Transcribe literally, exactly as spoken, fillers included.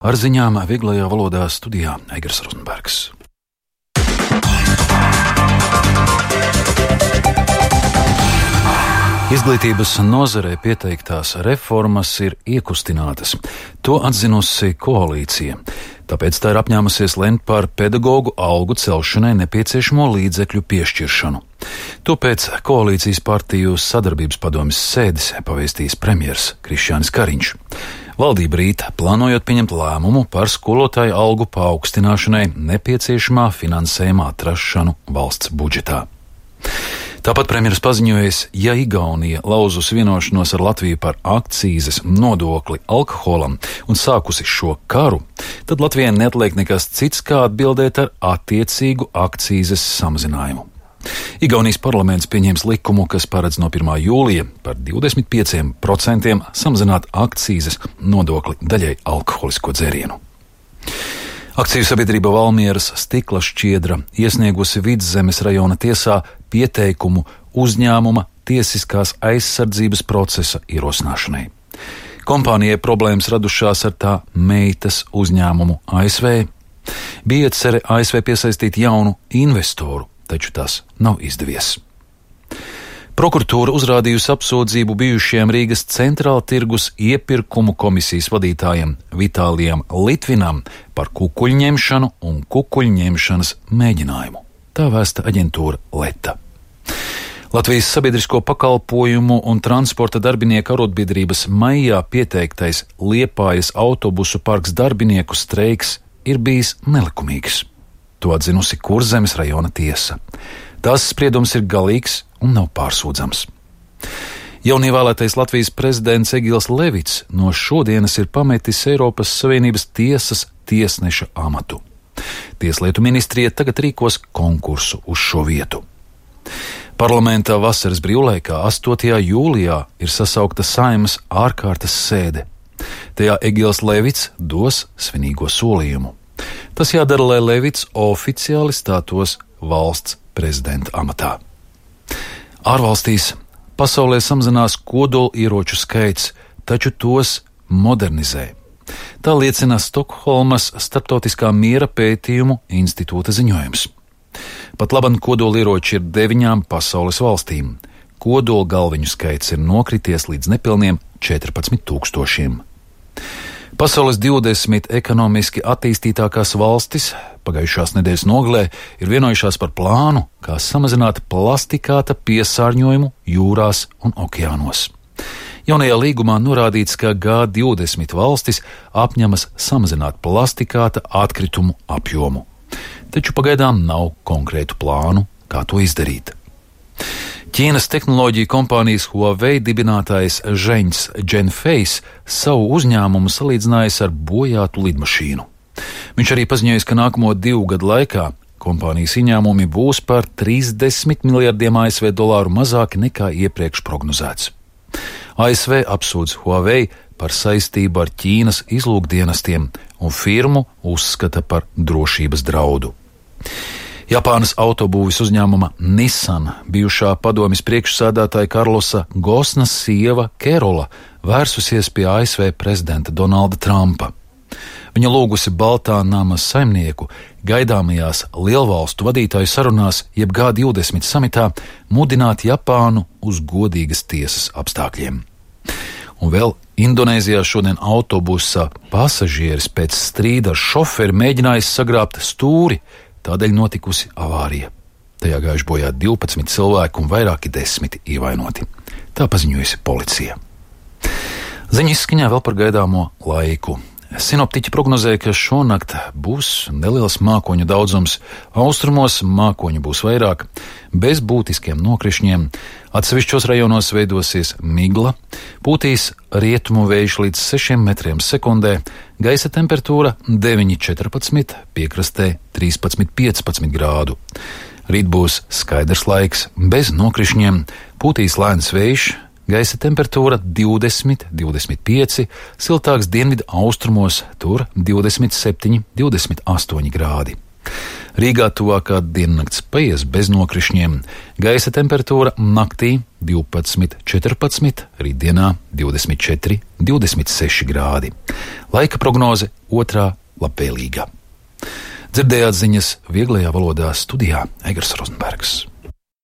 Ar ziņām vieglajā valodā studijā Eigars Rozenbergs. Izglītības nozarē pieteiktās reformas ir iekustinātas. To atzinusi koalīcija. Tāpēc tā ir apņēmusies lemt par pedagoģu algu celšanai nepieciešamo līdzekļu piešķiršanu. To pēc koalīcijas partiju sadarbības padomes sēdes pavēstījis premjers Krišjānis Kariņš. Valdība rīt plānojot pieņemt lēmumu par skolotāju algu paaugstināšanai nepieciešamā finansējuma atrašanu valsts budžetā. Tāpat premjeras paziņojis, ja Igaunija lauzus vienošanos ar Latviju par akcīzes nodokli alkoholam un sākusi šo karu, tad Latvijai neatliek nekas cits, kā atbildēt ar attiecīgu akcīzes samazinājumu. Igaunijas parlaments pieņems likumu, kas paredz no pirmā jūlija par divdesmit pieciem procentiem samazināt akcīzes nodokli daļai alkoholisko dzērienu. Akciju sabiedrība Valmieras stikla šķiedra iesniegusi Vidzemes rajona tiesā pieteikumu uzņēmuma tiesiskās aizsardzības procesa ierosināšanai. Kompānijai problēmas radušās ar tā meitas uzņēmumu A S V. Bija iecerē A S V piesaistīt jaunu investoru, taču tas nav izdevies. Prokuratūra uzrādījusi apsūdzību bijušajam Rīgas centrāla tirgus iepirkumu komisijas vadītājam Vitālijam Litvinam par kukuļņemšanu un kukuļņemšanas mēģinājumu. Tā vēsta aģentūra Leta. Latvijas sabiedrisko pakalpojumu un transporta darbinieku arotbiedrības maijā pieteiktais Liepājas autobusu parks darbinieku streiks ir bijis nelikumīgs. To atzinusi Kurzemes rajona tiesa. Tās spriedums ir galīgs un nav pārsūdzams. Jaunievēlētais Latvijas prezidents Egils Levits no šodienas ir pametis Eiropas Savienības tiesas tiesneša amatu. Tieslietu ministrija tagad rīkos konkursu uz šo vietu. Parlamentā vasaras brīvlaikā astotajā jūlijā ir sasaukta Saeimas ārkārtas sēde. Tajā Egils Levits dos svinīgo solījumu. Tas jādara, lai Levits oficiāli stātos valsts prezidenta amatā. Ārvalstīs pasaulē samazinās kodolieroču skaits, taču tos modernizē. Tā liecina Stokholmas Starptautiskā miera pētījumu institūta ziņojums. Pat laban kodolieroči ir deviņām pasaules valstīm. Kodola galviņu skaits ir nokrities līdz nepilniem četrpadsmit tūkstošiem. Pasaules divdesmit ekonomiski attīstītākās valstis pagājušās nedēļas nogalē ir vienojušās par plānu, kā samazināt plastikāta piesārņojumu jūrās un okeānos. Jaunajā līgumā norādīts, ka G divdesmit valstis apņemas samazināt plastikāta atkritumu apjomu. Taču pagaidām nav konkrētu plānu, kā to izdarīt. Ķīnas tehnoloģiju kompānijas Huawei dibinātājs Zheņs Zhenfeis savu uzņēmumu salīdzinājis ar bojātu lidmašīnu. Viņš arī paziņojis, ka nākamo divu gadu laikā kompānijas ieņēmumi būs par trīsdesmit miljardiem A S V dolāru mazāki nekā iepriekš prognozēts. A S V apsūdz Huawei par saistību ar Ķīnas izlūkdienestiem un firmu uzskata par drošības draudu. Japānas autobūves uzņēmuma Nissan bijušā padomjas priekšsēdētāja Karlosa Gosnas sieva Kerola vērsusies pie A S V prezidenta Donalda Trumpa. Viņa lūgusi Baltā nama saimnieku gaidāmajās lielvalstu vadītāju sarunās jeb G divdesmit samitā mudināt Japānu uz godīgas tiesas apstākļiem. Un vēl Indonēzijā šodien autobusa pasažieris pēc strīda ar šoferi mēģinājis sagrābt stūri, tādēļ notikusi avārija. Tajā gājuši bojā divpadsmit cilvēku un vairāki desmiti ievainoti. Tā paziņojusi policija. Ziņa izskaņā vēl par gaidāmo laiku. Sinoptiķi prognozē, ka šonakt būs neliels mākoņu daudzums, austrumos mākoņu būs vairāk, bez būtiskiem nokrišņiem, atsevišķos rajonos veidosies migla, pūtīs rietumu vējš līdz sešiem metriem sekundē, gaisa temperatūra deviņi četrpadsmit, piekrastē trīspadsmit piecpadsmit grādu. Rīt būs skaidrs laiks, bez nokrišņiem, pūtīs lēns vējš, gaisa temperatūra divdesmit, divdesmit pieci, siltāks dienvidu austrumos, tur divdesmit septiņi, divdesmit astoņi grādi. Rīgā tuvākā diennakts paies bez nokrišņiem. Gaisa temperatūra naktī divpadsmit četrpadsmit, rītdienā divdesmit četri divdesmit seši grādi. Laika prognoze otrā labvēlīgā. Dzirdējāt ziņas vieglajā valodā studijā Egars Rozenbergs.